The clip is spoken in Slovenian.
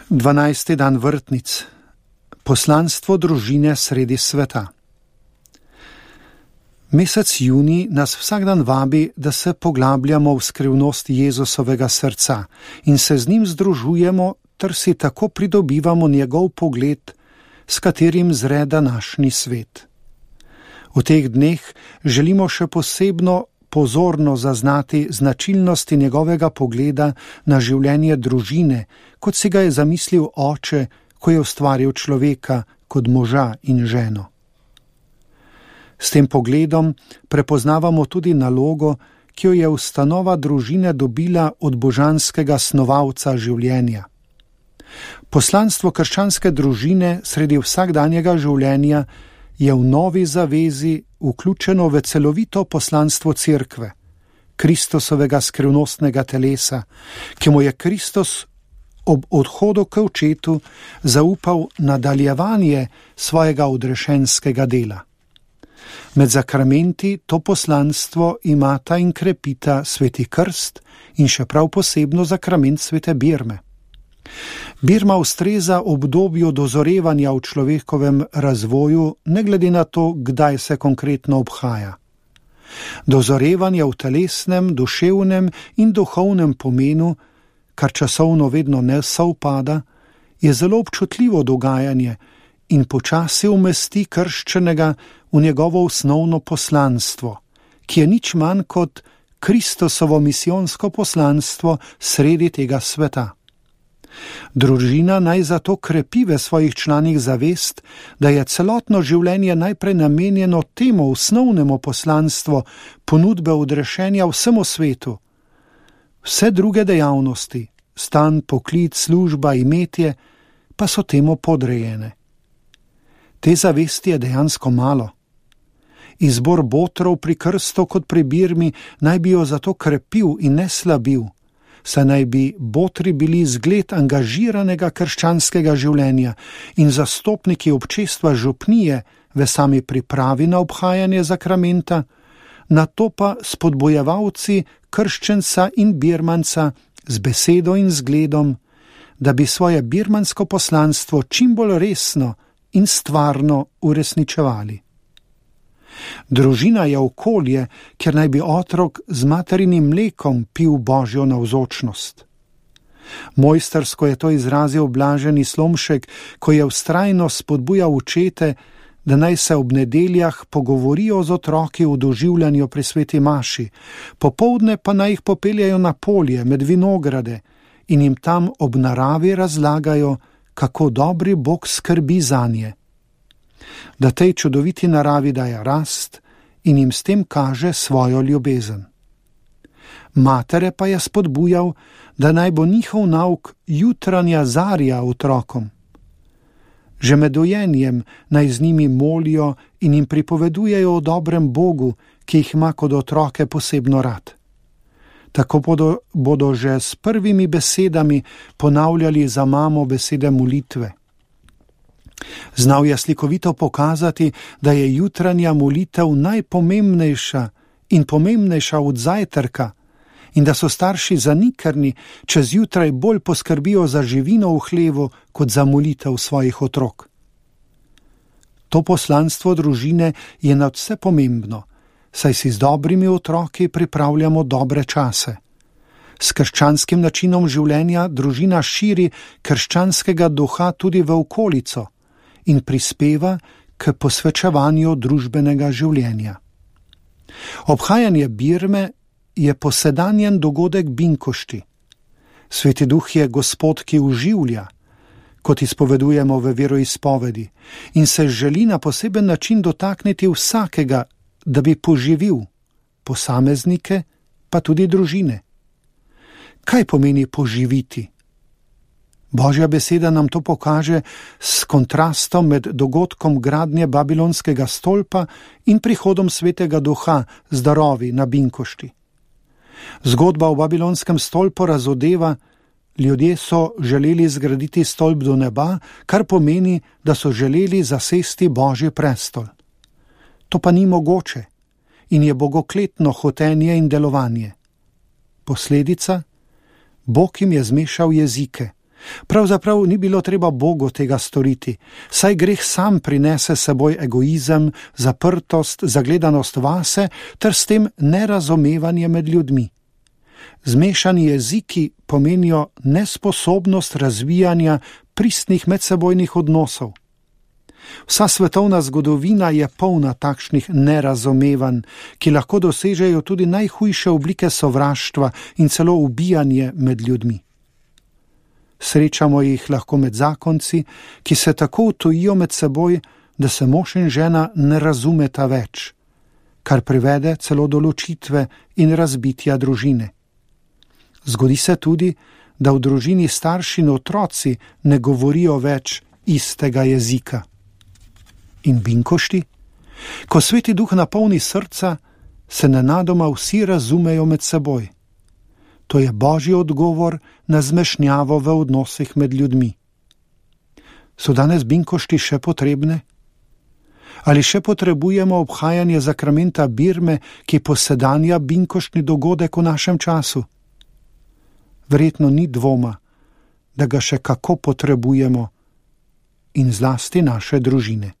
12. dan vrtnic. Poslanstvo družine sredi sveta. Mesec junij nas vsak dan vabi, da se poglabljamo v skrivnost Jezusovega srca in se z njim združujemo, ter si tako pridobivamo njegov pogled, s katerim zre današnji svet. V teh dneh želimo še posebno pozorno zaznati značilnosti njegovega pogleda na življenje družine, kot si ga je zamislil oče, ko je ustvaril človeka kot moža in ženo. S tem pogledom prepoznavamo tudi nalogo, ki jo je ustanova družine dobila od božanskega snovalca življenja. Poslanstvo krščanske družine sredi vsakdanjega življenja je v novi zavezi vključeno v celovito poslanstvo cerkve, Kristusovega skrivnostnega telesa, ki mu je Kristus ob odhodu k očetu zaupal nadaljevanje svojega odrešenskega dela. Med zakramenti to poslanstvo imata in krepita sveti krst in še prav posebno zakrament svete birme. Birma ustreza obdobju dozorevanja v človekovem razvoju, ne glede na to, kdaj se konkretno obhaja. Dozorevanje v telesnem, duševnem in duhovnem pomenu, kar časovno vedno ne sovpada, je zelo občutljivo dogajanje in počasi umesti krščenega v njegovo osnovno poslanstvo, ki je nič manj kot Kristusovo misijonsko poslanstvo sredi tega sveta. Družina naj zato krepi v svojih članih zavest, da je celotno življenje najprej namenjeno temu osnovnemu poslanstvu ponudbe odrešenja vsemu svetu. Vse druge dejavnosti, stan, poklic, služba, imetje, pa so temu podrejene. Te zavesti je dejansko malo. Izbor botrov pri krstu kot pri birmi naj bi jo zato krepil in ne slabil, saj naj bi botri bili zgled angažiranega krščanskega življenja in zastopniki občestva župnije v sami pripravi na obhajanje zakramenta, nato pa spodbojevalci krščenca in birmanca z besedo in zgledom, da bi svoje birmansko poslanstvo čim bolj resno in stvarno uresničevali. Družina je okolje, kjer naj bi otrok z materinim mlekom pil Božjo navzočnost. Mojstrsko je to izrazil blaženi Slomšek, ko je vztrajno spodbujal očete, da naj se ob nedeljah pogovorijo z otroki v doživljanju pri sveti maši, popoldne pa naj jih popeljajo na polje med vinograde in jim tam ob naravi razlagajo, kako dobri Bog skrbi zanje. Da tej čudoviti naravi daje rast in jim s tem kaže svojo ljubezen. Matere pa je spodbujal, da naj bo njihov nauk jutranja zarja otrokom. Že med dojenjem naj z njimi molijo in jim pripovedujejo o dobrem Bogu, ki jih ima kot otroke posebno rad. Tako bodo že s prvimi besedami ponavljali za mamo besede molitve. Znal je slikovito pokazati, da je jutranja molitev najpomembnejša in pomembnejša od zajtrka in da so starši zanikrni, če zjutraj bolj poskrbijo za živino v hlevu kot za molitev svojih otrok. To poslanstvo družine je nadvse pomembno, saj si z dobrimi otroki pripravljamo dobre čase. S krščanskim načinom življenja družina širi krščanskega duha tudi v okolico in prispeva k posvečevanju družbenega življenja. Obhajanje birme je posedanjen dogodek binkošti. Sveti duh je Gospod, ki oživlja, kot izpovedujemo v veroizpovedi, in se želi na poseben način dotakniti vsakega, da bi poživil posameznike, pa tudi družine. Kaj pomeni poživiti? Božja beseda nam to pokaže s kontrastom med dogodkom gradnje Babilonskega stolpa in prihodom svetega duha z darovi na binkošti. Zgodba o Babilonskem stolpu razodeva, ljudje so želeli zgraditi stolp do neba, kar pomeni, da so želeli zasesti Božji prestol. To pa ni mogoče in je bogokletno hotenje in delovanje. Posledica? Bog jim je zmešal jezike, Pravzaprav ni bilo treba Bogu tega storiti, saj greh sam prinese seboj egoizem, zaprtost, zagledanost vase ter s tem nerazumevanje med ljudmi. Zmešani jeziki pomenijo nesposobnost razvijanja pristnih medsebojnih odnosov. Vsa svetovna zgodovina je polna takšnih nerazumevanj, ki lahko dosežejo tudi najhujše oblike sovraštva in celo ubijanje med ljudmi. Srečamo jih lahko med zakonci, ki se tako utojijo med seboj, da se mož in žena ne razumeta več, kar privede celo do ločitve in razbitja družine. Zgodi se tudi, da v družini starši in otroci ne govorijo več istega jezika. In binkošti? Ko Sveti Duh napolni srca, se nenadoma vsi razumejo med seboj. To je Božji odgovor na zmešnjavo v odnosih med ljudmi. So danes binkošti še potrebne? Ali še potrebujemo obhajanje zakramenta birme, ki posedanja binkoštni dogodek v našem času? Verjetno ni dvoma, da ga še kako potrebujemo in zlasti naše družine.